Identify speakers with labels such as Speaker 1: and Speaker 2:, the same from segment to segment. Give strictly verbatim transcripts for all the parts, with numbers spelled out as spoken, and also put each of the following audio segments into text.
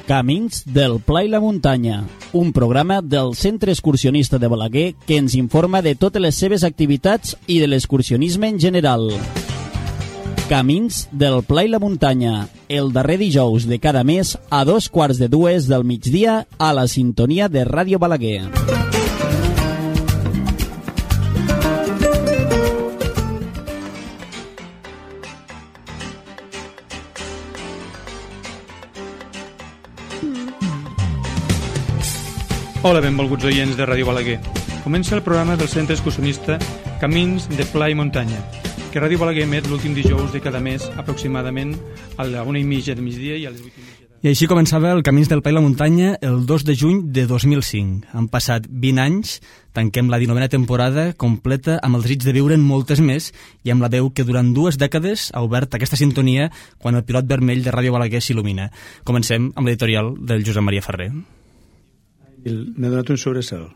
Speaker 1: Camins del Pla i la Muntanya, un programa del Centre Excursionista de Balaguer que ens informa de totes les seves activitats i de l'excursionisme en general. Camins del Pla i la Muntanya, el darrer dijous de cada mes a dos quarts de dues del migdia a la sintonia de Ràdio Balaguer.
Speaker 2: Hola, benvolguts oients de Ràdio Balaguer. Comença el programa del Centre Excursionista Camins de Pla i Muntanya, que Ràdio Balaguer emet l'últim dijous de cada mes, aproximadament a la una i mitja de migdia i a les vuit i mitja.
Speaker 3: I així començava el Camins del Pla i la Muntanya el dos de juny de dos mil cinc. Han passat vint anys, tanquem la dinovena temporada completa amb el desig de viure'n moltes més i amb la veu que durant dues dècades ha obert aquesta sintonia quan el pilot vermell de Ràdio Balaguer s'il·lumina. Comencem amb l'editorial del Josep Maria Ferrer.
Speaker 4: M'ha donat un sobresalt,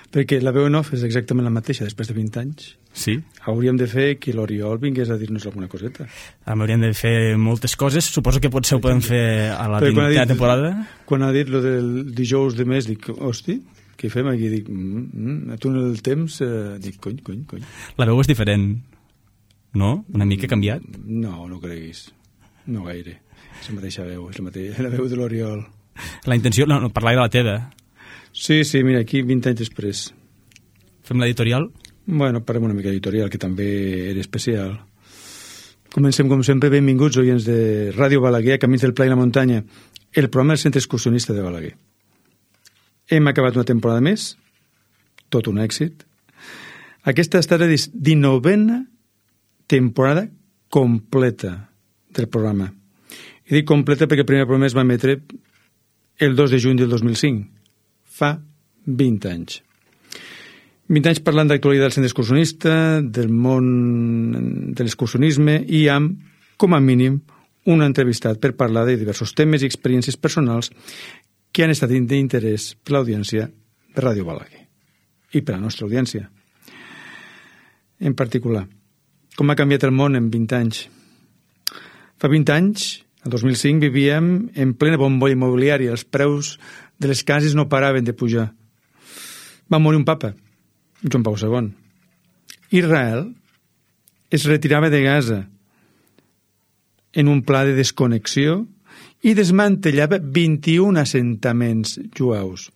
Speaker 4: perquè la veu en off és exactament la mateixa després de vint anys.
Speaker 3: Sí.
Speaker 4: Hauríem de fer que l'Oriol vingués a dir-nos alguna coseta.
Speaker 3: Hauríem de fer moltes coses, suposo que potser ho podem fer a la vintena temporada.
Speaker 4: Quan ha dit lo del dijous de mes, dic, hosti, què fem aquí? Dic, mm, mm, tu en el temps, eh, dic, cony, cony, cony.
Speaker 3: La veu és diferent, no? Una mica canviat?
Speaker 4: No, no creguis, no gaire. És la mateixa veu, és la, mateixa, la veu de l'Oriol.
Speaker 3: La intenció, no, no parlar de la teva.
Speaker 4: Sí, sí, mira, aquí vint anys després.
Speaker 3: Fem l'editorial?
Speaker 4: Bueno, parlem una mica d'editorial, que també era especial. Comencem, com sempre, benvinguts, oients de Ràdio Balaguer, Camins del Pla i la Muntanya, el programa del Centre Excursionista de Balaguer. Hem acabat una temporada més, tot un èxit. Aquesta ha estat la dinovena temporada completa del programa. I dic completa perquè el primer programa es va emetre el dos de juny del dos mil cinc. Fa vint anys. vint anys parlant d'actualitat del centre excursionista, del món de l'excursionisme i amb, com a mínim, un entrevistat per parlar de diversos temes i experiències personals que han estat d'interès per l'audiència de Ràdio Balaguer i per a la nostra audiència. En particular, com ha canviat el món en vint anys. Fa vint anys, el dos mil cinc, vivíem en plena bombolla immobiliària. Els preus de les cases no paraven de pujar. Va morir un papa, Joan Pau segon. Israel es retirava de Gaza en un pla de desconnexió i desmantellava vint-i-un assentaments jueus.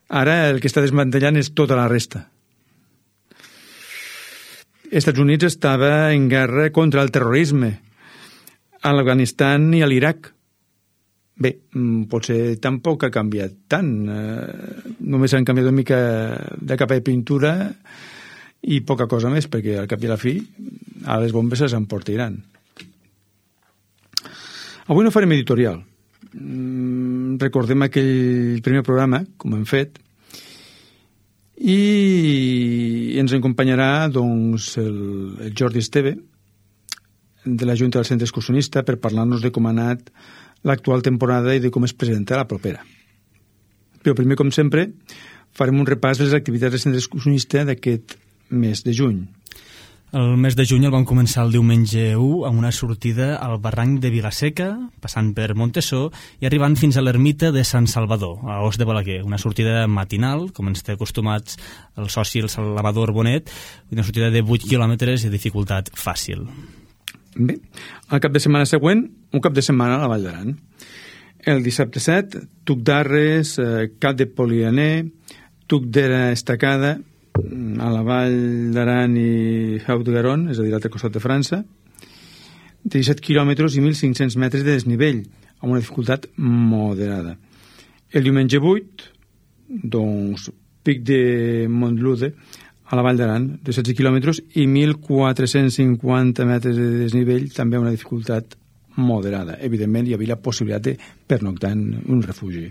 Speaker 4: Ara el que està desmantellant és tota la resta. Els Estats Units estava en guerra contra el terrorisme a l'Afganistan i a l'Iraq. Bé, potser tampoc ha canviat tant. Eh, només han canviat una mica de capa de pintura i poca cosa més, perquè al cap i a la fi a les bombes se s'emportaran. Avui no farem editorial. Mm, recordem aquell primer programa, com hem fet, i ens acompanyarà doncs, el, el Jordi Esteve, de la Junta del Centre Excursionista, per parlar-nos de com ha anat l'actual temporada i de com es presenta la propera. Però primer, com sempre, farem un repàs de les activitats del Centre Excursionista d'aquest mes de juny.
Speaker 3: El mes de juny el vam començar el diumenge u amb una sortida al barranc de Vilaseca, passant per Montesó i arribant fins a l'ermita de Sant Salvador, a Os de Balaguer. Una sortida matinal, com ens té acostumats el soci el Salvador Bonet, una sortida de vuit quilòmetres de dificultat fàcil.
Speaker 4: Bé, el cap de setmana següent, un cap de setmana a la Vall d'Aran. El dissabte set, Tuc d'Arres, eh, Cap de Polianer, Tuc d'Era Estacada, a la Vall d'Aran i Haut-Garonne, és a dir, a l'altre costat de França, de disset quilòmetres i mil cinc-cents metres de desnivell, amb una dificultat moderada. El diumenge vuit, doncs, Pic de Montlude, a la Vall d'Aran, de setze quilòmetres i mil quatre-cents cinquanta metres de desnivell, també una dificultat moderada. Evidentment, hi havia la possibilitat de pernoctar en un refugi.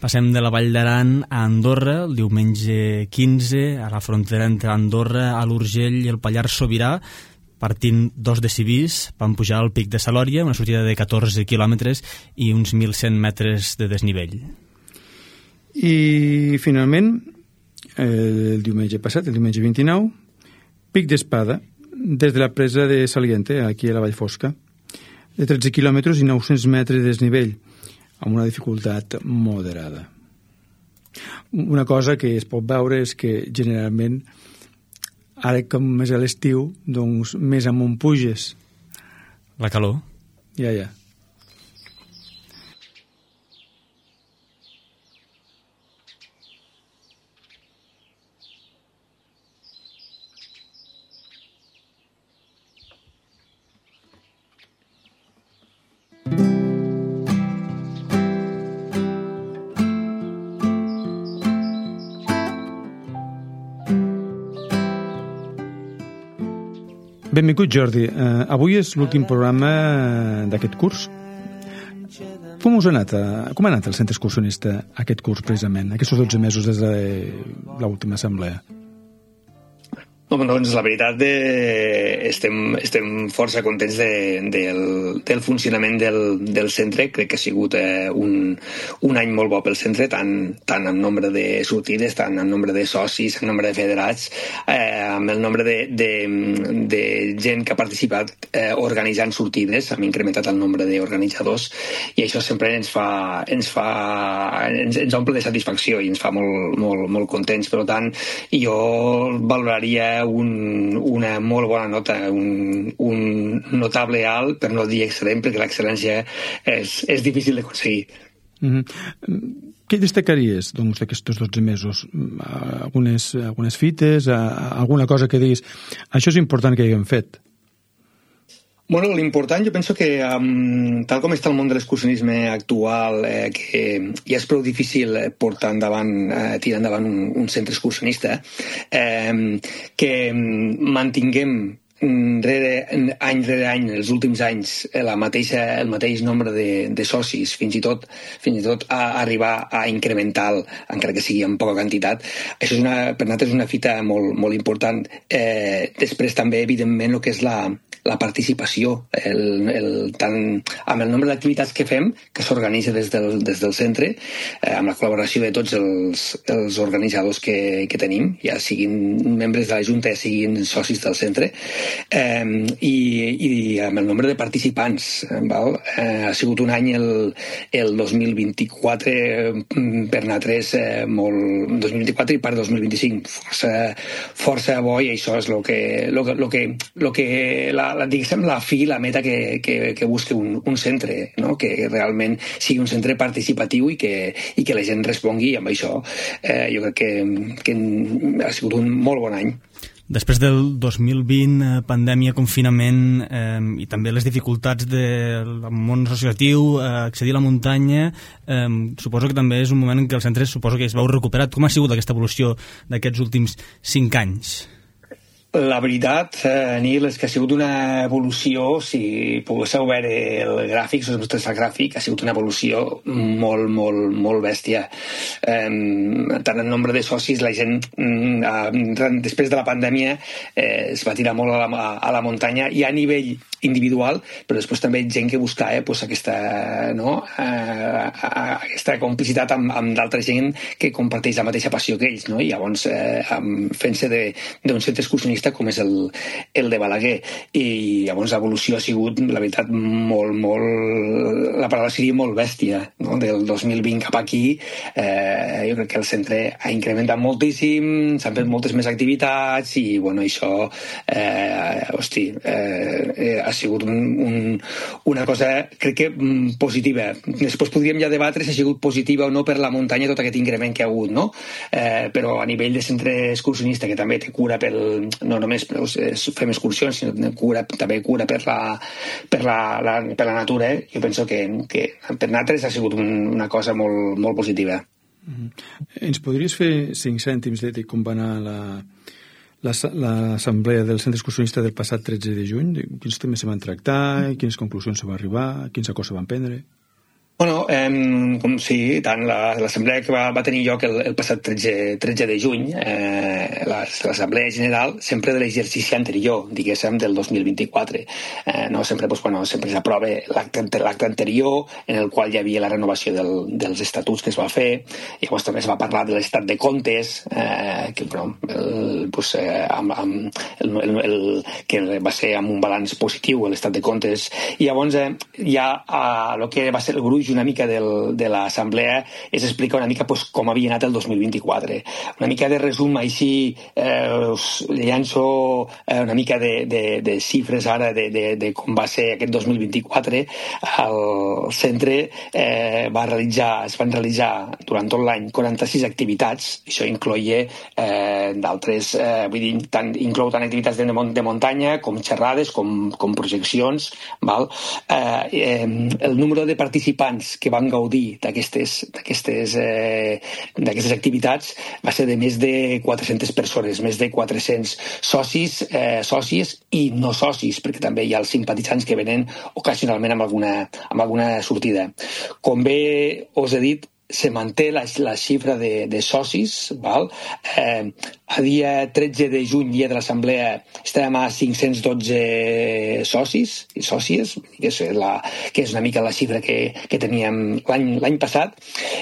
Speaker 3: Passem de la Vall d'Aran a Andorra, el diumenge quinze, a la frontera entre Andorra, a l'Urgell i el Pallars Sobirà, partint dos de Civís, vam pujar al Pic de Salòria, una sortida de catorze quilòmetres i uns mil cent metres de desnivell.
Speaker 4: I, finalment, el diumenge passat, el diumenge vint-i-nou, Pic d'Espada, des de la presa de Saliente, aquí a la Vall Fosca, de tretze quilòmetres i nou-cents metres de desnivell, amb una dificultat moderada. Una cosa que es pot veure és que generalment ara com més a l'estiu, doncs més amunt puges.
Speaker 3: La calor.
Speaker 4: Ja, ja. Benvingut, Jordi. Uh, avui és l'últim programa d'aquest curs. Com us ha anat, uh, com ha anat el centre excursionista aquest curs, precisament, aquests dotze mesos des de l'última assemblea?
Speaker 5: Doncs la veritat de... estem, estem força contents de, del, del funcionament del, del centre. Crec que ha sigut eh, un, un any molt bo pel centre, tant, tant en nombre de sortides, tant en nombre de socis, en nombre de federats, eh, amb el nombre de, de, de gent que ha participat eh, organitzant sortides. Hem incrementat el nombre d'organitzadors i això sempre ens fa, ens fa ens, ens omple de satisfacció i ens fa molt, molt, molt contents. Per tant, jo valoraria Un, una molt bona nota, un, un notable alt, per no dir excel·lent, perquè l'excel·lència és, és difícil d'aconseguir.
Speaker 4: Mm-hmm. Què destacaries doncs, d'aquests dotze mesos? Algunes, algunes fites, alguna cosa que diguis això és important que haguem fet?
Speaker 5: Bueno, l'important, jo penso que um, tal com està el món de l'excursionisme actual, eh, que ja és prou difícil portar endavant, eh, tirar endavant un, un centre excursionista, eh, que mantinguem rere, any rere any, els últims anys, la mateixa, el mateix nombre de, de socis, fins i tot, fins i tot a arribar a incrementar, encara que sigui en poca quantitat. Això és una, per nosaltres és una fita molt, molt important. Eh, després també, evidentment, el que és la, la participació, el, el, tant amb el nombre d'activitats que fem, que s'organitza des, del, des del centre, eh, amb la col·laboració de tots els, els organitzadors que, que tenim, ja siguin membres de la Junta, ja siguin socis del centre, eh, i, i amb el nombre de participants. Val? Eh, ha sigut un any, el, el dos mil vint-i-quatre, per nosaltres, eh, molt, dos mil vint-i-quatre i per dos mil vint-i-cinc, força, força bo, i això és el que, lo que, lo que, lo que la, la, diguéssim, la fi, la meta que, que, que busca un, un centre, no? Que realment sigui un centre participatiu i que, i que la gent respongui, i amb això eh, jo crec que, que ha sigut un molt bon any.
Speaker 3: Després del dos mil vint, eh, pandèmia, confinament eh, i també les dificultats del món associatiu, eh, accedir a la muntanya, eh, suposo que també és un moment en què el centre suposo que es veu recuperat. Com ha sigut aquesta evolució d'aquests últims cinc anys?
Speaker 5: La veritat, eh, Nil, és que ha sigut una evolució, si poguéssiu veure el gràfic, el nostre gràfic, ha sigut una evolució molt, molt, molt bèstia. Eh, tant en nombre de socis, la gent, eh, després de la pandèmia, eh, es va tirar molt a la, a la muntanya, i a nivell individual, però després també gent que buscava eh, pues, aquesta, no? eh, aquesta complicitat amb, amb d'altra gent que comparteix la mateixa passió que ells, no? I llavors eh, fent-se d'un centre excursionista com és el, el de Balaguer, i llavors l'evolució ha sigut, la veritat, molt, molt, la paraula seria molt bèstia, no? Del dos mil vint cap aquí, eh, jo crec que el centre ha incrementat moltíssim, s'han fet moltes més activitats, i bueno, això eh, hosti, eh, ha sigut un, un, una cosa, crec que positiva. Després podríem ja debatre si ha sigut positiva o no per la muntanya tot aquest increment que ha hagut, no? Eh, però a nivell de centre excursionista, que també té cura pel, no només fem excursions, sinó cura, també cura per la, per la, la, per la natura, eh? Jo penso que, que per nosaltres ha sigut un, una cosa molt, molt positiva.
Speaker 4: Mm-hmm. Ens podries fer cinc cèntims de, de com va anar la l'assemblea del centre excursionista del passat tretze de juny? Quins temes se van tractar, quines conclusions se van arribar, quins acords se van prendre?
Speaker 5: Bueno, eh, com sí, tant l'assemblea la, que va, va tenir lloc el, el passat tretze de juny, eh, l'assemblea general sempre de l'exercici anterior, diguéssim, del dos mil vint-i-quatre. Eh, no? Sempre pues, bueno, sempre s'aprova l'acte anterior, en el qual hi havia la renovació del, dels estatuts que es va fer, i llavors també es va parlar de l'estat de comptes, eh, que, bueno, el, pues, eh, amb, amb el, el, el, que va ser amb un balanç positiu, l'estat de comptes, i llavors eh, hi ha eh, el que va ser el gruix una mica del, de l'assemblea és explicar una mica pues, com havia anat el dos mil vint-i-quatre. Una mica de resum així, eh, us llanço eh, una mica de, de, de xifres ara de, de, de com va ser aquest dos mil vint-i-quatre. El centre eh, va realitzar, es van realitzar durant tot l'any quaranta-sis activitats, això incloïa eh, d'altres, eh, vull dir, tant, inclou tant activitats de, de muntanya com xerrades, com, com projeccions, val? Eh, eh, el número de participants que van gaudir d'aquestes d'aquestes eh, d'aquestes activitats va ser de més de quatre-centes persones, més de quatre-cents socis, eh, socis i no socis, perquè també hi ha els simpatitzants que venen ocasionalment amb alguna, amb alguna sortida. Com bé us he dit, se manté la, la xifra de, de socis, val? Eh, a dia tretze de juny, dia de l'assemblea, estàvem a cinc-cents dotze socis i sòcies, que és, la, que és una mica la xifra que, que teníem l'any passat,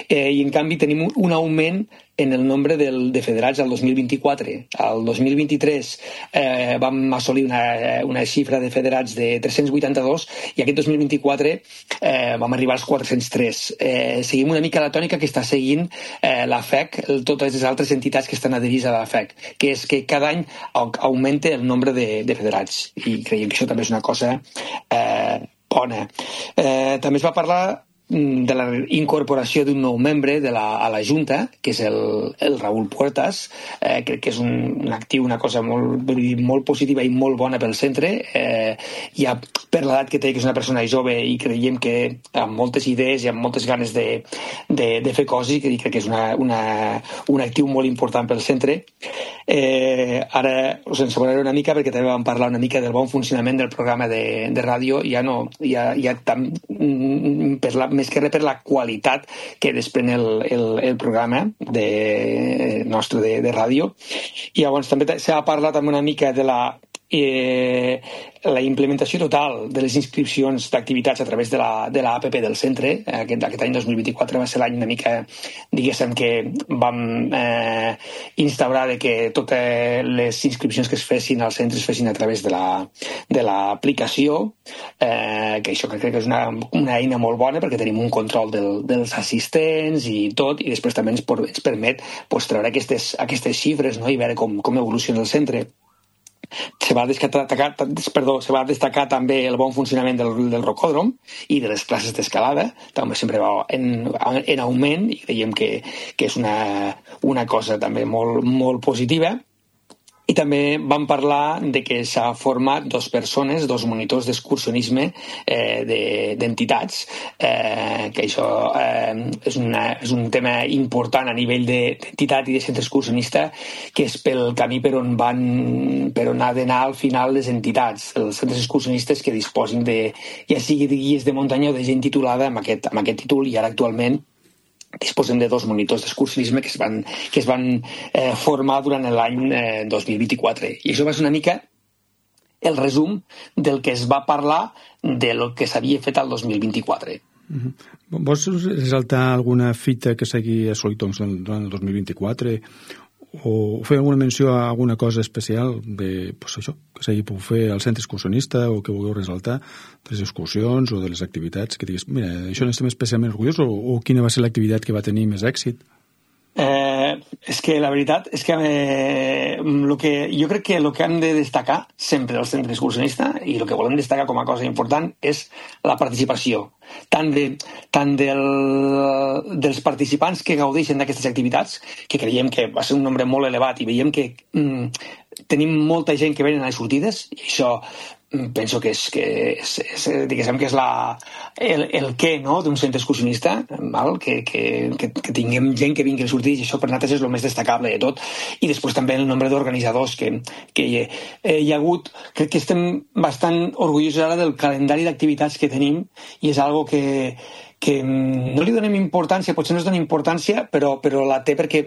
Speaker 5: eh, i en canvi tenim un, un augment en el nombre del, de federats al dos mil vint-i-quatre. Al dos mil vint-i-tres eh, vam assolir una, una xifra de federats de tres-cents vuitanta-dos i aquest dos mil vint-i-quatre eh, vam arribar als quatre-cents tres. Eh, seguim una mica la tònica que està seguint eh, la F E C, totes les altres entitats que estan adherits a la F E C, que és que cada any augmenta el nombre de, de federats i creiem que això també és una cosa eh, bona. Eh, també es va parlar de la incorporació d'un nou membre de la, a la Junta, que és el, el Raúl Puertas. Eh, crec que és un, un actiu, una cosa molt, molt positiva i molt bona pel centre. Eh, ja per l'edat que té, que és una persona jove, i creiem que amb moltes idees i amb moltes ganes de, de, de fer coses, i crec que és una, una, un actiu molt important pel centre. Eh, ara us ensenyaré una mica, perquè també vam parlar una mica del bon funcionament del programa de, de ràdio, ja no, ja, ja tam, per la, més que res per la qualitat que desprèn el, el, el programa de, nostre de, de ràdio. I llavors també s'ha parlat també una mica de la Eh, la implementació total de les inscripcions d'activitats a través de la, de la app del centre. Aquest, aquest any dos mil vint-i-quatre va ser l'any una mica, diguéssim, que vam eh, instaurar de que totes les inscripcions que es fessin als centres es fessin a través de la, de l'aplicació, eh, que això crec que és una, una eina molt bona perquè tenim un control del, dels assistents i tot, i després també ens, por, ens permet pues, treure aquestes, aquestes xifres, no? I veure com, com evoluciona el centre. Se va, destacar, perdó, se va destacar també el bon funcionament del, del rocòdrom i de les classes d'escalada, també sempre va en, en augment, i creiem que, que és una, una cosa també molt, molt positiva. I també vam parlar de que s'ha format dos persones, dos monitors d'excursionisme eh, d'entitats, eh, que això eh, és, una, és un tema important a nivell d'entitat i de centre excursionista, que és pel camí per on van, per on ha d'anar al final les entitats, els centres excursionistes que disposin de, ja sigui de guies de muntanya o de gent titulada amb aquest, amb aquest títol, i ara actualment disposem de dos monitors d'excursionisme que es van, que es van eh, formar durant l'any eh, dos mil vint-i-quatre. I això va ser una mica el resum del que es va parlar de lo que s'havia fet al dos mil vint-i-quatre.
Speaker 4: Mm-hmm. Vols resaltar alguna fita que s'hagi assolit doncs, durant el dos mil vint-i-quatre o fer alguna menció a alguna cosa especial de, pues això, que s'hagi pogut fer al centre excursionista o que vulgueu resaltar de les excursions o de les activitats que diguis, mira, això n'estem especialment orgullosos, o, o quina va ser l'activitat que va tenir més èxit?
Speaker 5: Eh, és que la veritat és que, eh, lo que jo crec que el que hem de destacar sempre del centre excursionista, i el que volem destacar com a cosa important, és la participació tant, de, tant del, dels participants que gaudeixen d'aquestes activitats, que creiem que va ser un nombre molt elevat, i veiem que mm, tenim molta gent que venen a les sortides, i això penso que és, que és, és, diguéssim que és la, el, el què, no?, d'un centre excursionista, val? Que, que, que, que tinguem gent que vingui a sortir, i això per nosaltres és el més destacable de tot. I després també el nombre d'organitzadors que, que hi, eh, hi ha hagut. Crec que estem bastant orgullosos ara del calendari d'activitats que tenim, i és algo que que no li donem importància, potser no es dona importància, però, però la té perquè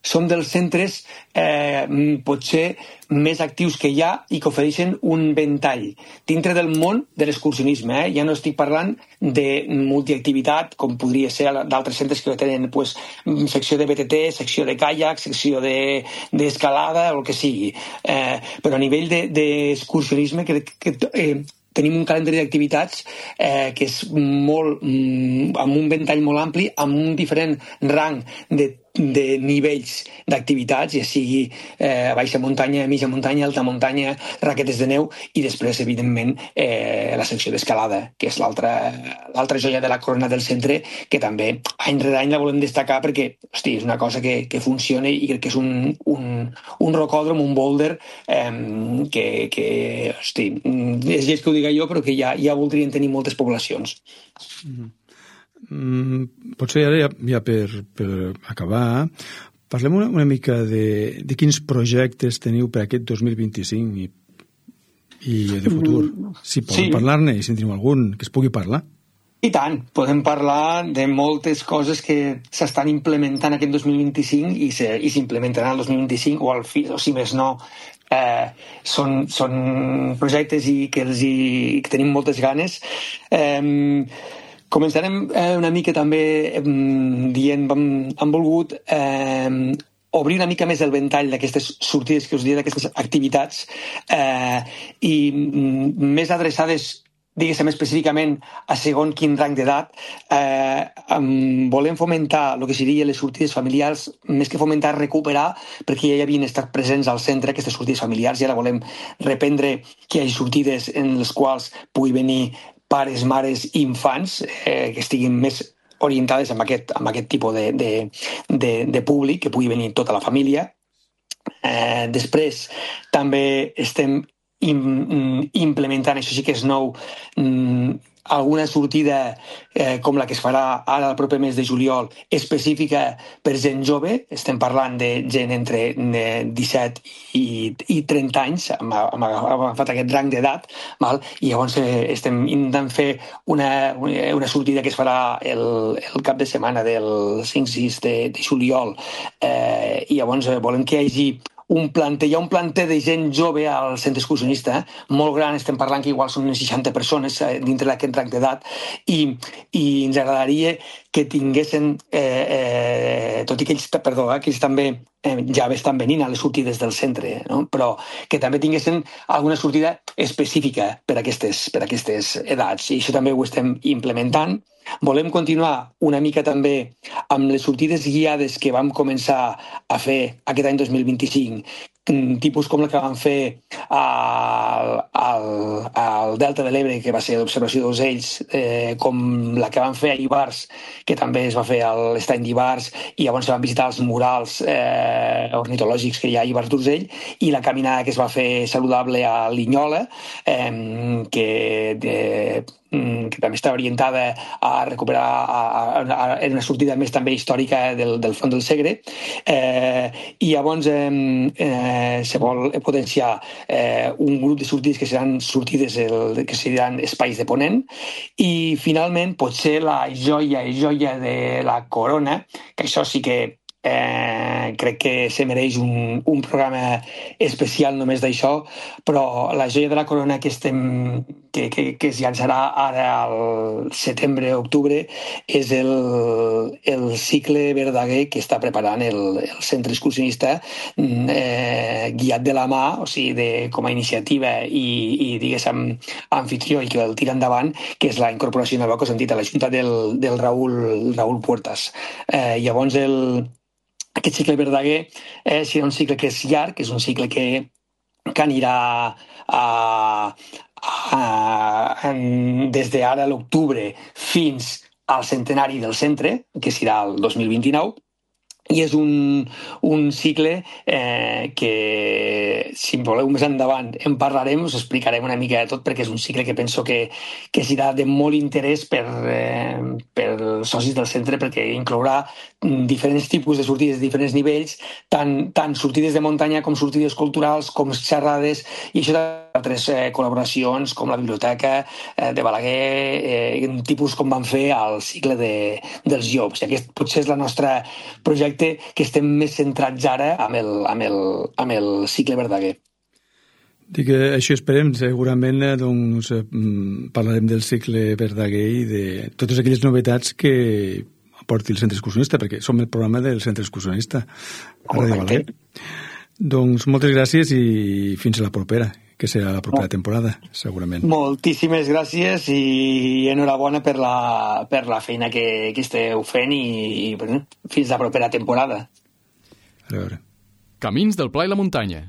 Speaker 5: som dels centres eh, potser més actius que hi ha i que ofereixen un ventall dintre del món de l'excursionisme. Eh? Ja no estic parlant de multiactivitat, com podria ser d'altres centres que tenen pues, secció de B T T, secció de caiac, secció d'escalada, de, o el que sigui. Eh, però a nivell d'excursionisme, de, crec que... Eh, tenim un calendari d'activitats eh, que és molt, mm, amb un ventall molt ampli, amb un diferent rang de de nivells d'activitats, ja sigui eh, baixa muntanya, mitja muntanya, alta muntanya, raquetes de neu, i després, evidentment, eh, la secció d'escalada, que és l'altra l'altra joia de la corona del centre, que també any rere any la volem destacar perquè, hosti, és una cosa que, que funciona i crec que és un, un, un rocòdrom, un boulder, eh, que, que, hosti, és lleig que ho diga jo, però que ja, ja voldrien tenir moltes poblacions.
Speaker 4: Mm-hmm. Mm, potser ara ja, ja per, per acabar parlem una, una mica de, de quins projectes teniu per aquest dos mil vint-i-cinc i, i de futur, si podem sí. parlar-ne i si en teniu algun que es pugui parlar.
Speaker 5: I tant, podem parlar de moltes coses que s'estan implementant aquest dos mil vint-i-cinc i s'implementaran el dos mil vint-i-cinc o, al fi, o si més no eh, són, són projectes i que, els hi, que tenim moltes ganes. eh, Començarem eh, una mica també eh, dient, hem, hem volgut eh, obrir una mica més el ventall d'aquestes sortides que us diuen, d'aquestes activitats eh, i mm, més adreçades, diguéssim específicament, a segon quin rang d'edat. Eh, um, volem fomentar el que serien les sortides familiars, més que fomentar, recuperar, perquè ja hi havien estat presents al centre aquestes sortides familiars i ara volem reprendre que hi hagi sortides en les quals pugui venir pares, mares i infants eh, que estiguin més orientades amb aquest, amb aquest tipus de, de, de, de públic, que pugui venir tota la família. Eh, després també estem im, implementant, això sí que és nou, mm, alguna sortida eh, com la que es farà ara el proper mes de juliol, específica per gent jove. Estem parlant de gent entre eh, disset i, i trenta anys, hem, hem agafat aquest rang d'edat, val? I llavors eh, estem intentant fer una, una sortida que es farà el, el cap de setmana del cinc sis de, de juliol, eh, i llavors eh, volem que hi hagi un planter, hi ha un planter de gent jove al centre excursionista, eh? molt gran, estem parlant que igual són unes seixanta persones eh, dintre d'aquest rang d'edat, i, i ens agradaria que tinguessin, eh, eh, tot i que ells, perdó, eh, que ells també eh, ja estan venint a les sortides del centre, no? Però que també tinguessin alguna sortida específica per a aquestes, per a aquestes edats, i això també ho estem implementant. Volem continuar una mica també amb les sortides guiades que vam començar a fer aquest any dos mil vint-i-cinc, tipus com la que vam fer al, al, al Delta de l'Ebre, que va ser d'observació d'ocells, eh, com la que vam fer a Ivars, que també es va fer a l'estany d'Ivars, i llavors van visitar els murals eh, ornitològics que hi ha a Ivars d'Urgell, i la caminada que es va fer saludable a Linyola, eh, que de, que també està orientada a recuperar a, a, a, a una sortida més també històrica del, del Font del Segre, eh, i llavors eh, eh, se vol potenciar eh, un grup de sortides que seran sortides el, que seran espais de ponent, i finalment potser la joia i joia de la corona, que això sí que Eh, crec que se mereix un, un programa especial només d'això, però la joia de la corona que, estem, que, que, que es llançarà ara al setembre-octubre és el, el cicle Verdaguer que està preparant el, el centre excursionista, eh, guiat de la mà, o sigui, de, com a iniciativa i, i diguéssim, anfitrió, i que el tira endavant, que és la incorporació nova que us hem dit a la Junta del, del Raúl, Raúl Puertas. Eh, llavors el Aquest cicle Verdaguer eh, serà un cicle que és llarg, és un cicle que, que anirà a, a, en, des d'ara a l'octubre fins al centenari del centre, que serà el dos mil vint-i-nou, i és un, un cicle eh, que, si voleu més endavant en parlarem, us explicarem una mica de tot, perquè és un cicle que penso que, que serà de molt interès per, eh, per socis del centre, perquè inclourà diferents tipus de sortides de diferents nivells, tant, tant sortides de muntanya com sortides culturals, com xerrades, i això d'altres eh, col·laboracions, com la biblioteca eh, de Balaguer, eh, tipus com van fer al cicle de, dels llops. I aquest potser és la nostra projecte que estem més centrats ara amb el, amb el, amb el cicle Verdaguer.
Speaker 4: Dic que això esperem, segurament doncs, parlarem del cicle Verdaguer i de totes aquelles novetats que aporti el centre excursionista, perquè som el programa del centre excursionista a Ràdio Balaguer. Doncs moltes gràcies i fins a la propera. que serà la propera temporada, segurament.
Speaker 5: Moltíssimes gràcies i enhorabona per la, per la feina que, que esteu fent i, i bueno, fins la propera temporada.
Speaker 4: A veure.
Speaker 6: Camins del Pla i la Muntanya.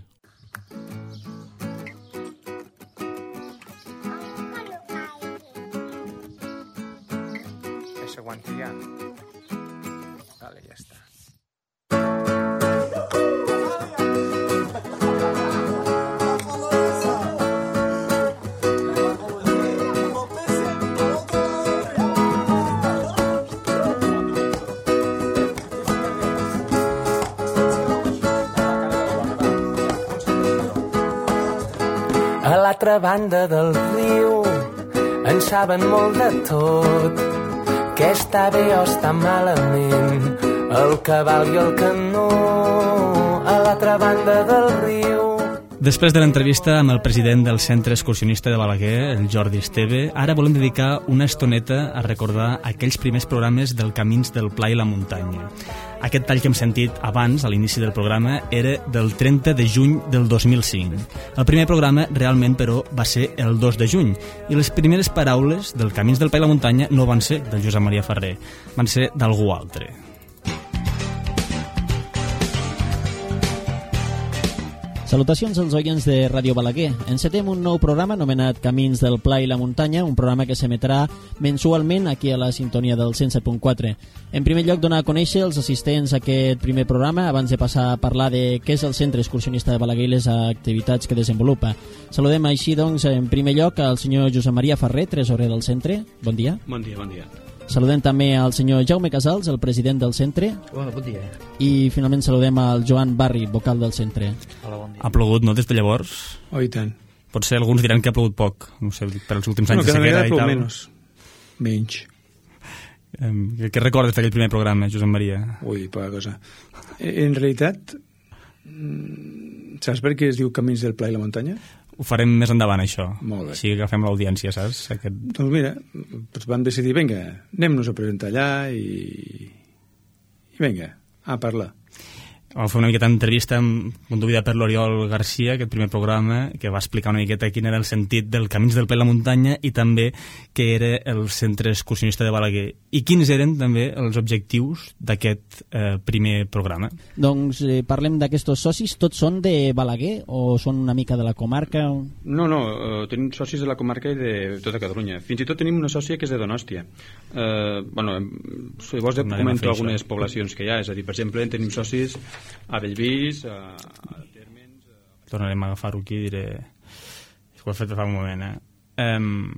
Speaker 7: Eso aguante ya. Vale, ya está.
Speaker 8: A l'altra banda del riu en saben molt de tot, que està bé o està malament, el cavall i el canó a l'altra banda del riu.
Speaker 3: Després de l'entrevista amb el president del Centre Excursionista de Balaguer, el Jordi Esteve, ara volem dedicar una estoneta a recordar aquells primers programes del Camins del Pla i la Muntanya. Aquest tall que hem sentit abans, a l'inici del programa, era del trenta de juny del dos mil cinc. El primer programa, realment, però, va ser el dos de juny, i les primeres paraules del Camins del Pla i la Muntanya no van ser del Josep Maria Ferrer, van ser d'algú altre.
Speaker 1: Salutacions als oients de Ràdio Balaguer. Encetem un nou programa anomenat Camins del Pla i la Muntanya, un programa que s'emetrà mensualment aquí a la sintonia del cent set punt quatre. En primer lloc, donar a conèixer els assistents a aquest primer programa abans de passar a parlar de què és el Centre Excursionista de Balaguer i les activitats que desenvolupa. Saludem així, doncs, en primer lloc al senyor Josep Maria Ferrer, tresorer del centre. Bon dia.
Speaker 2: Bon dia, bon dia.
Speaker 1: Saludem també al senyor Jaume Casals, el president del centre.
Speaker 9: Hola, bon dia.
Speaker 1: I finalment saludem al Joan Barri, vocal del centre.
Speaker 9: Hola, bon dia.
Speaker 3: Ha plogut, no, des de llavors?
Speaker 4: Oh, i tant.
Speaker 3: Potser alguns diran que ha plogut poc, no sé, per als últims anys
Speaker 4: bueno,
Speaker 3: de sequera i tal.
Speaker 4: Cada vegada menys. Menys.
Speaker 3: Eh, què recordes d'aquell primer programa, Josep Maria?
Speaker 4: Ui, poca cosa. En realitat, saps per què es diu Camins del Pla i la Muntanya?
Speaker 3: Ho farem més endavant, això.
Speaker 4: Molt bé.
Speaker 3: Així que agafem l'audiència, saps? Aquest...
Speaker 4: Doncs mira, doncs vam decidir, vinga, anem-nos a presentar allà i... i vinga, a parlar.
Speaker 3: Vam fer una miqueta d'entrevista amb, conduïda per l'Oriol Garcia, aquest primer programa, que va explicar una miqueta quin era el sentit del Camins del Pla i la Muntanya i també què era el Centre Excursionista de Balaguer. I quins eren també els objectius d'aquest eh, primer programa?
Speaker 1: Doncs eh, parlem d'aquests socis. Tots són de Balaguer o són una mica de la comarca?
Speaker 2: No, no, eh, tenim socis de la comarca i de tota Catalunya. Fins i tot tenim una sòcia que és de Donòstia. Eh, bueno, si vols comento algunes això. poblacions que hi ha, és a dir, per exemple, tenim socis a Bellvís, a, a Térmens... A...
Speaker 3: Tornarem a agafar-ho aquí i diré... Ho he fet fa un moment, eh? Um...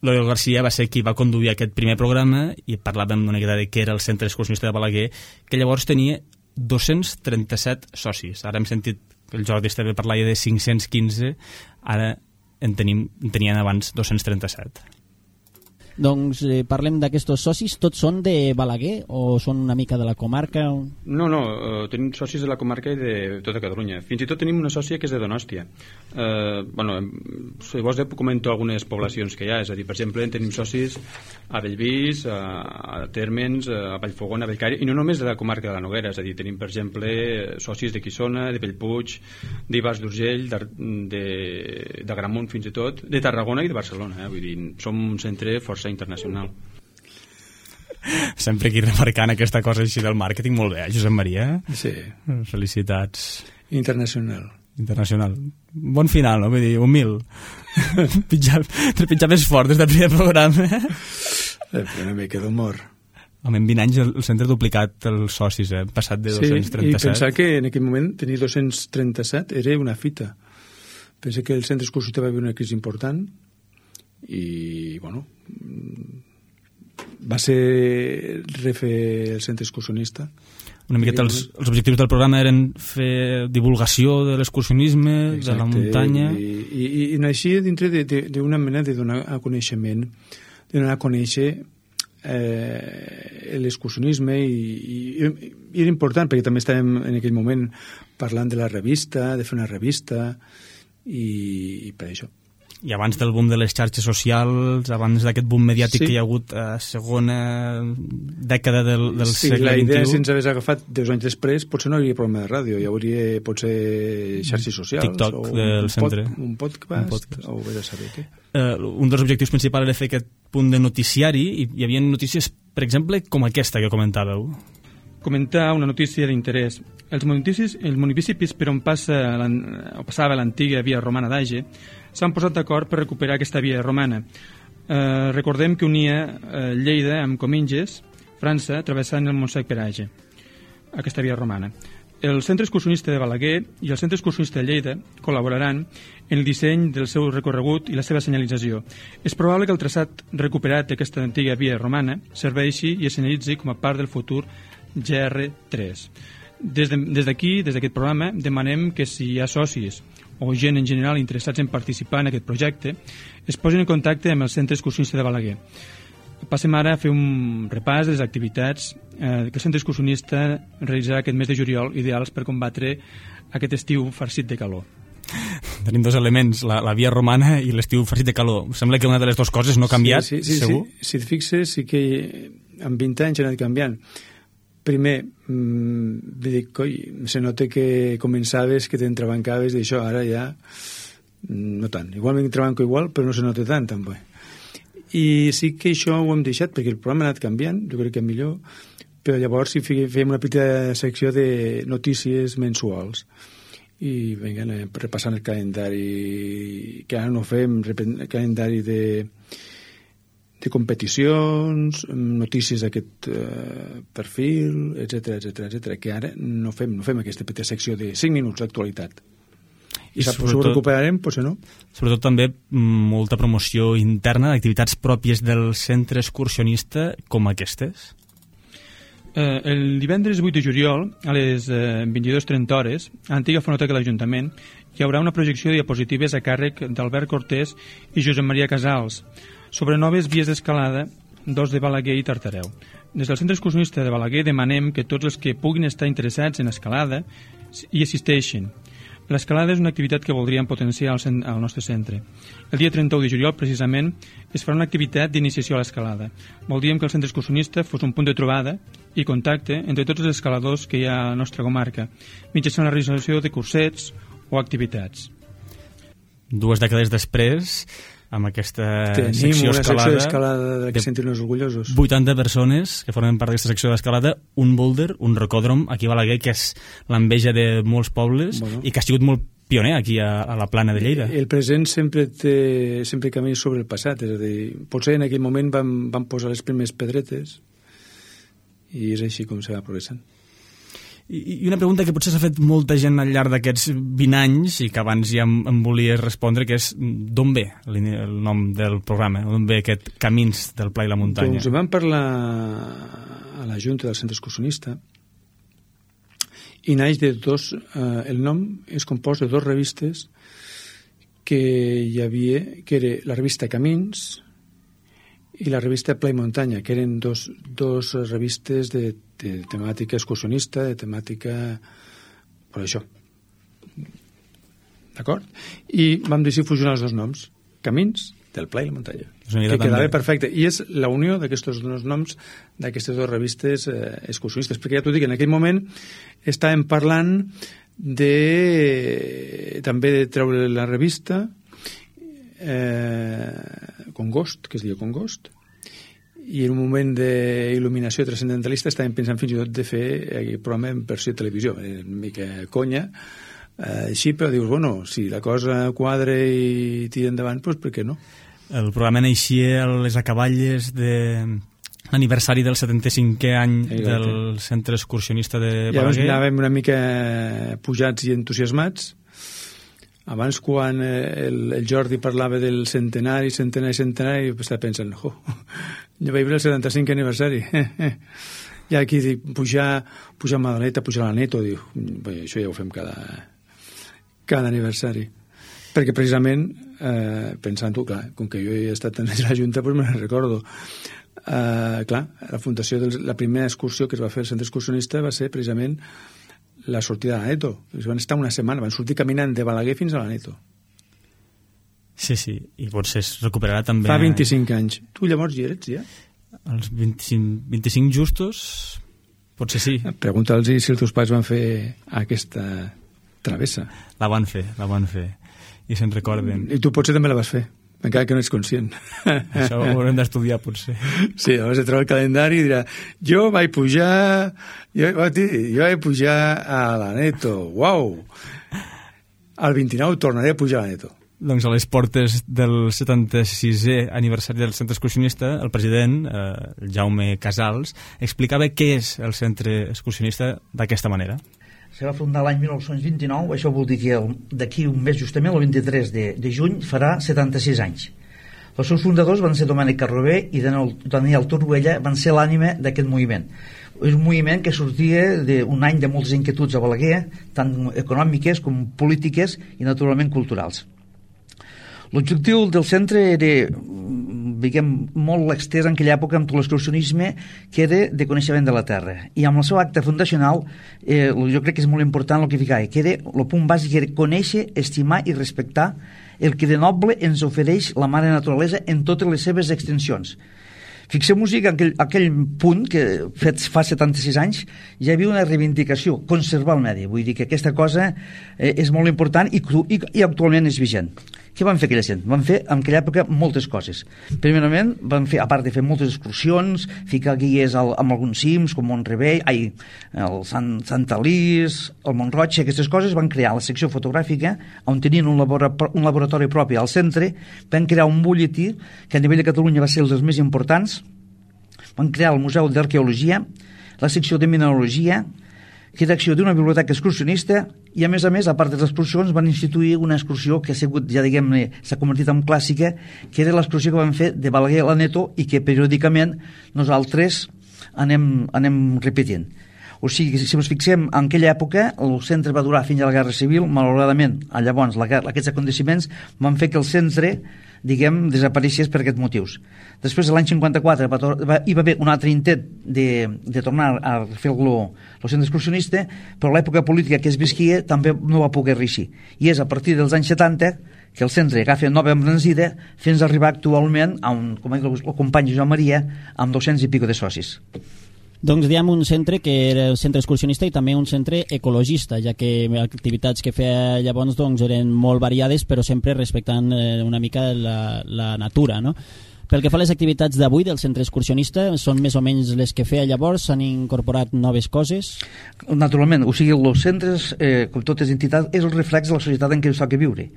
Speaker 3: L'Oriol Garcia va ser qui va conduir aquest primer programa i parlàvem una miqueta de què era el Centre Excursionista de Balaguer, que llavors tenia dos-cents trenta-set socis. Ara hem sentit que el Jordi Esteve parlava de cinc-cents quinze, ara en, tenim, en tenien abans dos-cents trenta-set.
Speaker 1: Doncs eh, parlem d'aquests socis. Tots són de Balaguer o són una mica de la comarca?
Speaker 2: No, no, eh, tenim socis de la comarca i de tota Catalunya. Fins i tot tenim una sòcia que és de Donòstia. Eh, bueno, si vols comento algunes poblacions que hi ha, és a dir, per exemple, tenim socis a Bellvís, a, a Térmens, a Vallfogona, a Bellcaire, i no només de la comarca de la Noguera, és a dir, tenim, per exemple, socis de Quissona, de Bellpuig, d'Ivars d'Urgell, de, de, de Gramunt fins i tot, de Tarragona i de Barcelona, eh? Vull dir, som un centre força internacional.
Speaker 3: Sempre aquí remarcant aquesta cosa així del màrqueting, molt bé, eh, Josep Maria?
Speaker 4: Sí.
Speaker 3: Felicitats.
Speaker 4: Internacional.
Speaker 3: Internacional. Bon final, no? Vull dir, humil. Pitjar, pitjar més fort des del primer programa.
Speaker 4: Eh, una mica d'humor.
Speaker 3: Home, en vint anys el, el centre ha duplicat els socis, eh? Passat de dos-cents trenta-set.
Speaker 4: Sí, i pensar que en aquell moment tenir dos-cents trenta-set era una fita. Pensa que el centre excursionista va haver una crisi important i, bueno, va ser refer el centre excursionista.
Speaker 3: Una miqueta els, els objectius del programa eren fer divulgació de l'excursionisme, de la muntanya...
Speaker 4: I, i, i naixia dintre d'una mena de donar a coneixement, de donar a conèixer eh, l'excursionisme i, i, i era important perquè també estàvem en aquell moment parlant de la revista, de fer una revista i, i per això.
Speaker 3: I abans del boom de les xarxes socials, abans d'aquest boom mediàtic sí. que hi ha hagut a segona dècada del, del
Speaker 4: sí,
Speaker 3: segle
Speaker 4: vint i u... Sí, la idea,
Speaker 3: vint i u...
Speaker 4: si ens hagués agafat deu anys després, potser no hi hauria programa de ràdio, hi hauria potser xarxes socials,
Speaker 3: TikTok
Speaker 4: o
Speaker 3: del
Speaker 4: un,
Speaker 3: centre.
Speaker 4: Pod, un, podcast,
Speaker 3: un podcast,
Speaker 4: o bé de saber què.
Speaker 3: Uh, un dels objectius principals era fer aquest punt de noticiari, i hi havia notícies, per exemple, com aquesta que comentàveu.
Speaker 2: Comentar una notícia d'interès. Els municipis, els municipis per on passa o passava l'antiga via romana d'Age s'han posat d'acord per recuperar aquesta via romana. Eh, recordem que unia eh, Lleida amb Cominges, França, travessant el Montsec per Age, aquesta via romana. El Centre Excursionista de Balaguer i el Centre Excursionista de Lleida col·laboraran en el disseny del seu recorregut i la seva senyalització. És probable que el traçat recuperat d'aquesta antiga via romana serveixi i es senyalitzi com a part del futur G R tres. Des d'aquí, de, des d'aquest programa, demanem que si hi ha socis o gent en general interessats en participar en aquest projecte, es posin en contacte amb el Centre Excursionista de Balaguer. Passem ara a fer un repàs de les activitats eh, que el Centre Excursionista realitzarà aquest mes de juliol, ideals per combatre aquest estiu farcit de calor.
Speaker 3: Tenim dos elements, la, la via romana i l'estiu farcit de calor. Sembla que una de les dues coses no ha canviat,
Speaker 4: sí, sí, sí,
Speaker 3: segur?
Speaker 4: Sí. Si et fixes, sí que en vint anys ha anat canviant. Primer, mmm, dic, coi, se nota que començaves, que t'entrebancaves d'això, ara ja no tant. Igual m'entrebanco igual, però no se nota tant, també. I sí que això ho hem deixat, perquè el programa ha anat canviant, jo crec que millor, però llavors sí fèiem una petita secció de notícies mensuals. I vinga, anem repassant el calendari, que ara no fem, el calendari de... de competicions, notícies d'aquest eh, perfil, etcètera, etcètera, etcètera, que ara no fem, no fem aquesta petita secció de cinc minuts d'actualitat. I, I sap, si ho recuperarem, potser no.
Speaker 3: Sobretot també molta promoció interna d'activitats pròpies del centre excursionista com aquestes.
Speaker 2: Eh, el divendres vuit de juliol, a les eh, vint-i-dues trenta hores, a l'antiga fonoteca de l'Ajuntament, hi haurà una projecció de diapositives a càrrec d'Albert Cortés i Josep Maria Casals, sobre noves vies d'escalada d'Os de Balaguer i Tartareu. Des del Centre Excursionista de Balaguer demanem que tots els que puguin estar interessats en escalada hi assisteixin. L'escalada és una activitat que voldríem potenciar al, al nostre centre. El dia trenta-u de juliol, precisament, es farà una activitat d'iniciació a l'escalada. Voldríem que el Centre Excursionista fos un punt de trobada i contacte entre tots els escaladors que hi ha a la nostra comarca, mitjançant la realització de cursets o activitats.
Speaker 3: Dues dècades després, amb aquesta
Speaker 4: Tenim
Speaker 3: secció
Speaker 4: una
Speaker 3: escalada,
Speaker 4: secció d'escalada de que sentir-nos orgullosos.
Speaker 3: vuitanta persones que formen part d'aquesta secció d'escalada, un boulder, un rocòdrom aquí a Balaguer, que és l'enveja de molts pobles, bueno, i que ha sigut molt pioner aquí a, a la plana de Lleida.
Speaker 4: El present sempre té, sempre camina sobre el passat, és a dir, potser en aquell moment vam, vam posar les primeres pedretes i és així com se va progressant.
Speaker 3: I una pregunta que potser s'ha fet molta gent al llarg d'aquests vint anys i que abans ja em, em volies respondre, que és d'on ve el nom del programa, d'on ve aquest Camins del Pla i la Muntanya?
Speaker 4: Doncs vam parlar a la Junta del Centre Excursionista i naix de dos, eh, el nom és compost de dos revistes que hi havia, que era la revista Camins i la revista Pla i Muntanya, que eren dos, dos revistes de, de temàtica excursionista, de temàtica per això. D'acord? I vam decidir fusionar els dos noms, Camins del Pla i la Muntanya, que quedava perfecte. I és la unió d'aquests dos noms d'aquestes dues revistes eh, excursionistes, perquè ja t'ho dic, en aquell moment estàvem parlant de també de treure la revista eh, Congost, que es diu Congost, i en un moment d'il·luminació transcendentalista estàvem pensant fins i tot de fer el programa en versió de televisió, una mica conya, eh, així, però dius, bueno, si la cosa quadra i tira endavant, doncs per què no?
Speaker 3: El programa naixia a les acaballes de l'aniversari del setanta-cinquè any Exacte. Del Centre Excursionista de Balaguer.
Speaker 4: I llavors anàvem una mica pujats i entusiasmats. Abans, quan el, el Jordi parlava del centenari, centenari, centenari, estava pensant, oh, jo vaig veure el setanta-cinquè aniversari. I aquí dic, pujar, pujar a Madaleta, pujar a la Neto, diu, això ja ho fem cada, cada aniversari. Perquè precisament, eh, pensant-ho, clar, com que jo he estat en la Junta, doncs me'n recordo. Eh, clar, la fundació, de la primera excursió que es va fer al Centre Excursionista va ser precisament la sortida de la Neto. Van estar una setmana, van sortir caminant de Balaguer fins a la Neto.
Speaker 3: Sí, sí, i potser es recuperarà també...
Speaker 4: Fa vint-i-cinc anys. Tu llavors hi eres, ja?
Speaker 3: Els vint-i-cinc, vint-i-cinc justos, potser sí.
Speaker 4: Pregunta'ls si els teus pares van fer aquesta travessa.
Speaker 3: La van fer, la van fer, i se'n recorden.
Speaker 4: I tu potser també la vas fer, encara que no ets conscient.
Speaker 3: Això ho haurem d'estudiar, potser.
Speaker 4: Sí, llavors de trobar el calendari i dirà, jo vaig pujar, jo, jo vaig pujar a l'Aneto, uau! Al vint-i-nou tornaré a pujar a l'Aneto.
Speaker 3: Doncs a les portes del setanta-sisè aniversari del Centre Excursionista, el president, eh, Jaume Casals, explicava què és el Centre Excursionista d'aquesta manera.
Speaker 9: Se va fundar l'any dinou vint-i-nou, això vol dir que d'aquí un mes justament, el vint-i-tres de, de juny, farà setanta-sis anys. Els seus fundadors van ser Domènec Carrobé i Daniel Torruella, van ser l'ànima d'aquest moviment. És un moviment que sortia d'un any de moltes inquietuds a Balaguer, tant econòmiques com polítiques i naturalment culturals. L'objectiu del centre era, diguem, molt extès en aquella època amb tot l'excursionisme, que era de coneixement de la terra. I amb el seu acte fundacional, eh, jo crec que és molt important el que ficava, que era, el punt bàsic era conèixer, estimar i respectar el que de noble ens ofereix la mare naturalesa en totes les seves extensions. Fixem-nos que aquell, aquell punt que fet fa setanta-sis anys ja hi havia una reivindicació, conservar el medi, vull dir que aquesta cosa eh, és molt important i, i, i actualment és vigent. Què van fer aquella gent? Van fer en aquella època moltes coses. Primerament van fer, a part de fer moltes excursions, ficar guies al, amb alguns cims com Montrebell, ai, el Sant, Sant Alís, el Montroig, aquestes coses, van crear la secció fotogràfica on tenien un, labora, un laboratori propi al centre, van crear un butlletí que a nivell de Catalunya va ser els més importants, van crear el Museu d'Arqueologia, la secció de Mineralogia, creació d'una biblioteca excursionista i, a més a més, a part de les excursions, van instituir una excursió que ha sigut, ja diguem-ne, s'ha convertit en clàssica, que era l'excursió que van fer de Balaguer a l'Aneto i que periòdicament nosaltres anem, anem repetint. O sigui, si ens fixem, en aquella època el centre va durar fins a la Guerra Civil, malauradament, llavors la guerra, aquests aconteciments van fer que el centre, diguem, desapareixés per aquests motius. Després, l'any cinquanta-quatre, va, va, hi va haver un altre intent de, de tornar a fer el, el centre excursionista, però l'època política que es visquia també no va poder reeixir. I és a partir dels anys setanta que el centre agafa nova embranzida fins a arribar actualment a un, com ha dit el company Joan Maria, amb dos-cents i pico de socis.
Speaker 1: Doncs diem un centre que era el centre excursionista i també un centre ecologista, ja que les activitats que feia llavors doncs, eren molt variades, però sempre respectant eh, una mica la, la natura, no? Pel que fa a les activitats d'avui del centre excursionista, són més o menys les que feia llavors? S'han incorporat noves coses?
Speaker 9: Naturalment, o sigui, els centres, eh, com totes les entitats, és el reflex de la societat en què ens toca viure.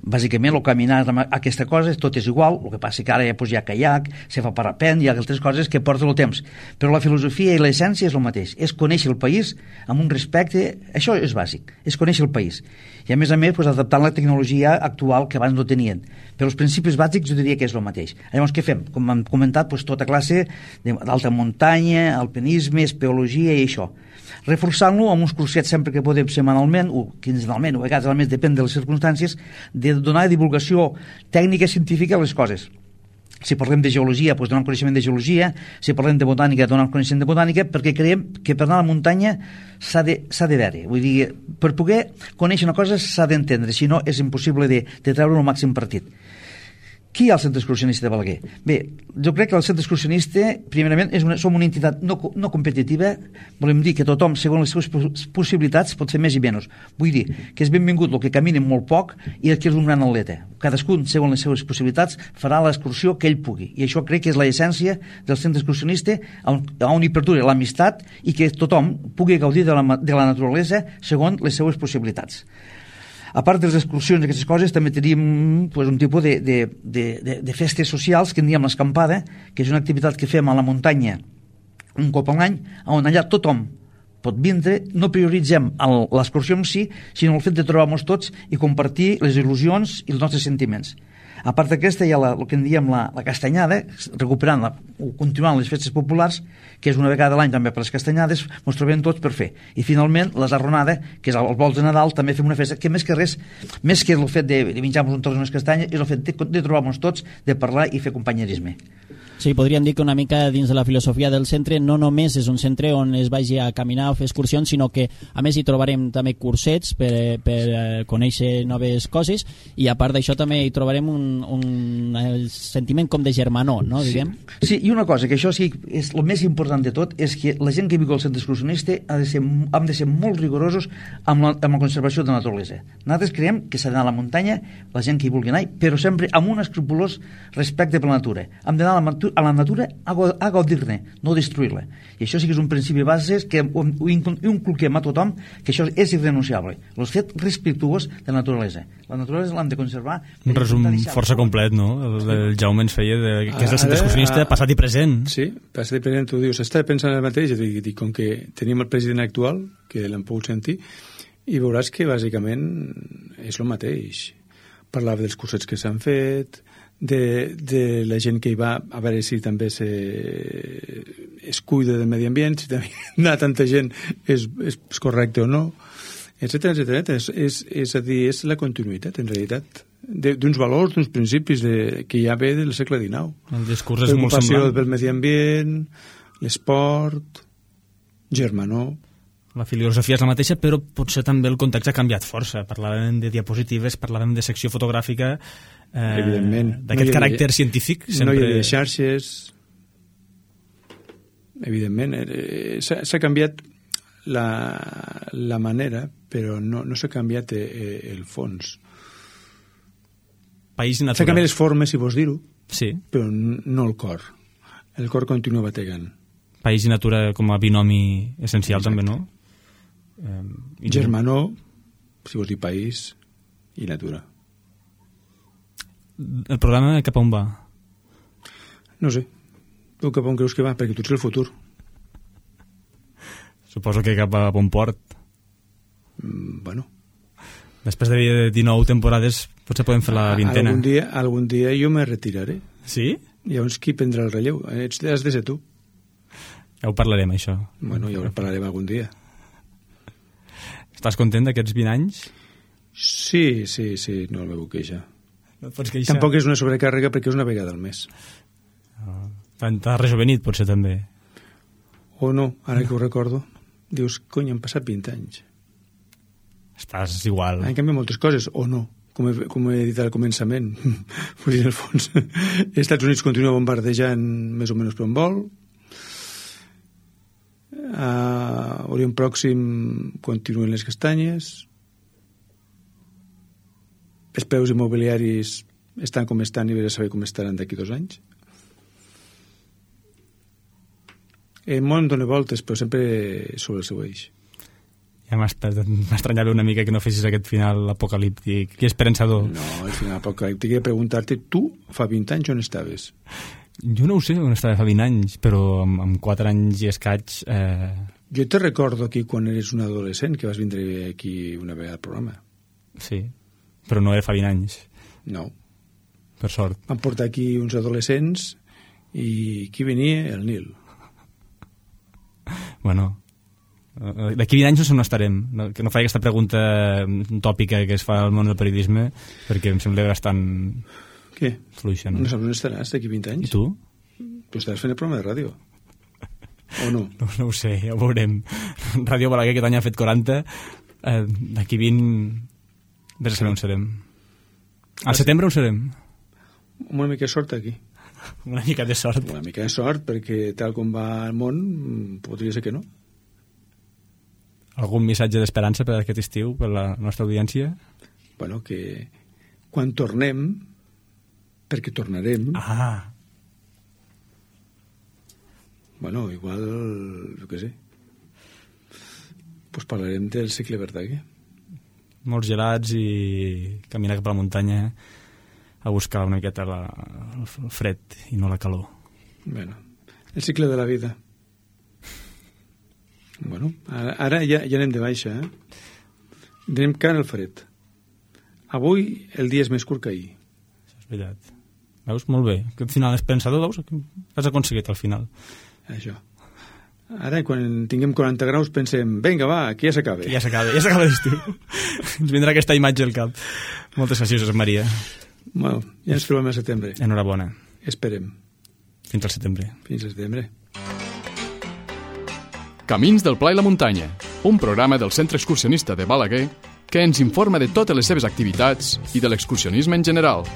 Speaker 9: Bàsicament, el caminar amb aquesta cosa, tot és igual, el que passa que ara ja, pues, hi ha caiac, se fa parapent, hi ha altres coses que porten el temps. Però la filosofia i l'essència és el mateix, és conèixer el país amb un respecte, això és bàsic, és conèixer el país. I a més a més, pues, adaptant la tecnologia actual que abans no tenien. Però els principis bàsics jo diria que és el mateix. Llavors, què fem? Com hem comentat, pues, tota classe d'alta muntanya, alpinisme, espeologia i això. Reforçant-lo amb uns cursets sempre que podem setmanalment o quinzenalment o a vegades al mes, depèn de les circumstàncies, de donar divulgació tècnica científica a les coses. Si parlem de geologia, doncs donar coneixement de geologia, si parlem de botànica, donar coneixement de botànica, perquè creiem que per anar a la muntanya s'ha de, s'ha de veure. Vull dir, per poder conèixer una cosa s'ha d'entendre, si no és impossible de, de treure el màxim partit. Qui hi ha al centre excursionista de Balaguer? Bé, jo crec que el centre excursionista, primerament, és una, som una entitat no, no competitiva, volem dir que tothom, segons les seves possibilitats, pot fer més i menys. Vull dir que és benvingut el que camina molt poc i el que és un gran atleta. Cadascun, segons les seves possibilitats, farà l'excursió que ell pugui. I això crec que és l'essència del centre excursionista, on, on hi perdura l'amistat i que tothom pugui gaudir de la, de la naturalesa segons les seves possibilitats. A part de les excursions i aquestes coses, també tenim pues, un tipus de, de, de, de, de festes socials que en diem l'escampada, que és una activitat que fem a la muntanya un cop a l'any, on allà tothom pot vindre, no prioritzem l'excursió en si, sinó el fet de trobar-nos tots i compartir les il·lusions i els nostres sentiments. A part d'aquesta hi ha la, el que en diem la, la castanyada, recuperant la, o continuant les festes populars, que és una vegada a l'any també per les castanyades, ens trobem tots per fer. I finalment la zarronada, que és els vols de Nadal, també fem una festa que més que res, més que el fet de, de menjar-nos un tros d'unes castanyes, és el fet de, de trobar-nos tots, de parlar i fer companyerisme.
Speaker 1: Sí, podríem dir que una mica dins de la filosofia del centre no només és un centre on es vagi a caminar o fer excursions, sinó que a més hi trobarem també cursets per, per conèixer noves coses, i a part d'això també hi trobarem un, un el sentiment com de germanor, no? Diguem?
Speaker 9: Sí. sí, i una cosa, que això sí és el més important de tot, és que la gent que viu al centre excursionista ha de ser, hem de ser molt rigorosos amb la, amb la conservació de la naturalesa. Nosaltres creiem que s'ha d'anar a la muntanya, la gent que hi vulgui anar, però sempre amb un escrupolós respecte per la natura. Hem d'anar a la, a la natura a, a gaudir-ne, no destruir-la. I això sí que és un principi base que ho, ho inculquem a tothom, que això és irrenunciable. El fet respectuós de la naturalesa. La naturalesa l'hem de conservar.
Speaker 3: Un resum força complet, no? El, el Jaume ens feia, de, que és el centre excursionista passat i present.
Speaker 4: Sí, passat i present, tu dius, estava pensant el mateix, i dic, com que tenim el president actual, que l'hem pogut sentir, i veuràs que bàsicament és el mateix. Parlava dels cursets que s'han fet, de, de la gent que hi va, a veure si també se, es cuida del medi ambient, si també anar tanta gent és, és correcte o no, etcètera, etcètera. És, és, és a dir, és la continuïtat, en realitat, d'uns valors, d'uns principis de, que ja ve del segle dinou.
Speaker 3: El discurs és molt semblant.
Speaker 4: Preocupació pel medi ambient, l'esport, germanor.
Speaker 3: La filosofia és la mateixa, però potser també el context ha canviat força. Parlàvem de diapositives, parlàvem de secció fotogràfica, eh, d'aquest no caràcter de, científic.
Speaker 4: Sempre... No hi havia xarxes. Evidentment, eh, s'ha canviat la, la manera, però no, no s'ha canviat eh, el fons.
Speaker 3: País natural.
Speaker 4: S'ha canviat les formes, si vols dir-ho,
Speaker 3: sí. Però
Speaker 4: no el cor. El cor continua bategant.
Speaker 3: País i natura com a binomi essencial. Exacte. També, no?
Speaker 4: Eh, Germanor, si vols dir país i natura.
Speaker 3: El programa cap on va?
Speaker 4: No sé. Tu cap on creus que va? Perquè tu ets el futur.
Speaker 3: Suposo que cap a bon port.
Speaker 4: Mm, bueno.
Speaker 3: Després de dinou temporades potser podem fer la vintena.
Speaker 4: Algun dia, algun dia jo me retiraré.
Speaker 3: Sí?
Speaker 4: Llavors qui prendrà el relleu? Ets, has de ser tu.
Speaker 3: Ja ho parlarem, això.
Speaker 4: Bueno, ja ho parlarem algun dia.
Speaker 3: Estàs content d'aquests vint anys?
Speaker 4: Sí, sí, sí, no el meu queixa.
Speaker 3: No et pots queixar?
Speaker 4: Tampoc és una sobrecàrrega perquè és una vegada al mes.
Speaker 3: Oh. T'has rejovenit, potser, també.
Speaker 4: O no, ara que ho recordo. Dius, cony, han passat vint anys.
Speaker 3: Estàs igual.
Speaker 4: Han canviat moltes coses, o no, com he, com he dit al començament. Vull dir, en el fons, els Estats Units continua bombardejant més o menys per on vol. A Orient Pròxim continuen les castanyes. Els preus immobiliaris estan com estan i vés a saber com estaran d'aquí dos anys. El món dona voltes, però sempre sobre el seu eix.
Speaker 3: Ja m'estranyava una mica que no fessis aquest final apocalíptic i esperançador.
Speaker 4: No, el final apocalíptic he de preguntar-te, tu fa vint anys on estaves?
Speaker 3: Jo no ho sé on estava fa vint anys, però amb, amb quatre anys i escaig... Eh...
Speaker 4: Jo te recordo aquí quan eres un adolescent que vas vindre aquí una vegada al programa.
Speaker 3: Sí, però no era fa vint anys.
Speaker 4: No.
Speaker 3: Per sort.
Speaker 4: Van portar aquí uns adolescents i qui venia? El Nil.
Speaker 3: Bueno, d'aquí vint anys no sé on estarem. No, que no faig aquesta pregunta tòpica que es fa al món del periodisme, perquè em sembla bastant...
Speaker 4: Què?
Speaker 3: Fluixa, no?
Speaker 4: No saps on estaràs d'aquí vint anys?
Speaker 3: I tu?
Speaker 4: Tu estaràs fent el programa de ràdio. O no?
Speaker 3: No, no ho sé, ja ho veurem. Ràdio Balaguer aquest any ha fet quaranta. Eh, d'aquí vint... Vés a saber on serem. Al setembre on serem?
Speaker 4: Una mica de sort aquí.
Speaker 3: Una mica de sort.
Speaker 4: Una mica de sort, perquè tal com va el món, podria ser que no.
Speaker 3: Algun missatge d'esperança per aquest estiu, per la nostra audiència?
Speaker 4: Bueno, que quan tornem, perquè tornarem...
Speaker 3: Ah!
Speaker 4: Bueno, igual, jo què sé, pues parlarem del segle Verdaguer.
Speaker 3: Molts gelats i caminar cap a la muntanya a buscar una miqueta la, el fred i no la calor.
Speaker 4: Bueno, el cicle de la vida. Bueno, ara, ara ja, ja anem de baixa, eh? Anem cara al fred. Avui el dia és més curt que ahir.
Speaker 3: Això és veritat. Veus? Molt bé. Aquest final esperançador, veus? Has aconseguit al final.
Speaker 4: Això. Ara, quan tinguem quaranta graus, pensem, vinga, va, que ja s'acaba.
Speaker 3: Ja s'acaba, ja s'acaba l'estiu. Ens vindrà aquesta imatge al cap. Moltes gràcies, Maria.
Speaker 4: Bueno, ja ens trobem a setembre.
Speaker 3: Enhorabona.
Speaker 4: Esperem.
Speaker 3: Fins al setembre.
Speaker 4: Fins al setembre.
Speaker 6: Camins del Pla i la Muntanya, un programa del Centre Excursionista de Balaguer que ens informa de totes les seves activitats i de l'excursionisme en general.